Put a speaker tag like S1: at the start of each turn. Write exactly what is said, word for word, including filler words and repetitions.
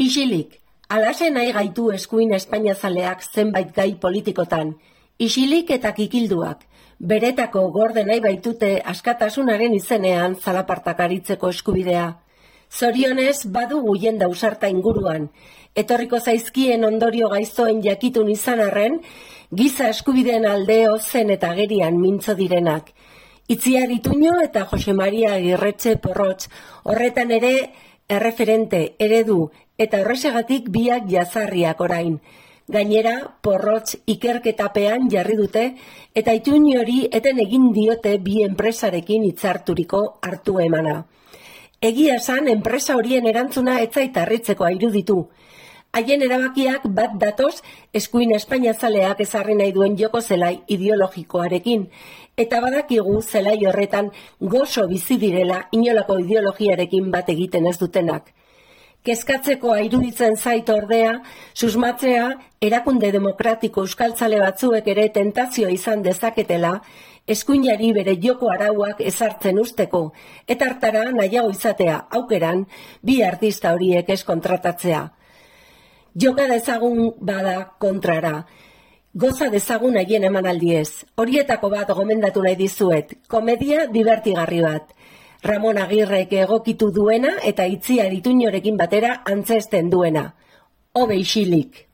S1: Isilik, alaxe nahi gaitu eskuin espainiazaleak zenbait gai politikotan. Isilik eta kikilduak, beretako gorde nahi baitute askatasunaren izenean zalapartak aritzeko eskubidea. Zorionez badugu jenda ausarta inguruan, etorriko zaizkien ondorio gaiztoen jakitun izan arren, giza eskubideen aldeo zen eta gerian mintzo direnak. Itziar Ituño eta Jose Maria Agirretxe Porrotx, horretan ere erreferente, eredu, eta horrexegatik biak jazarriak orain. Gainera, Porrotx ikerketapean jarri dute, eta Ituño hori eten egin diote bi enpresarekin hitzarturiko hartu emana. Egia esan, enpresa horien erantzuna etzait harritzekoa iruditu. Haien erabakiak bat datoz eskuin espainiazaleak ezarri nahi duen joko zelai ideologikoarekin, eta badakigu zelai horretan gozo bizi direla inolako ideologiarekin bat egiten ez dutenak. Kezkatzekoa iruditzen zait ordea, susmatzea erakunde demokratiko euskaltzale batzuek ere tentazioa izan dezaketela, eskuinari bere joko arauak ezartzen usteko, eta hartara nahiago izatea aukeran bi artista horiek ez kontratatzea. Joka dezagun bada kontrara, goza dezagun haien emanaldiez. Horietako bat gomendatu nahi dizuet, komedia divertigarri bat. Ramon Agirrek egokitu duena eta Itziar Ituñorekin batera antzesten duena. Hobe isilik.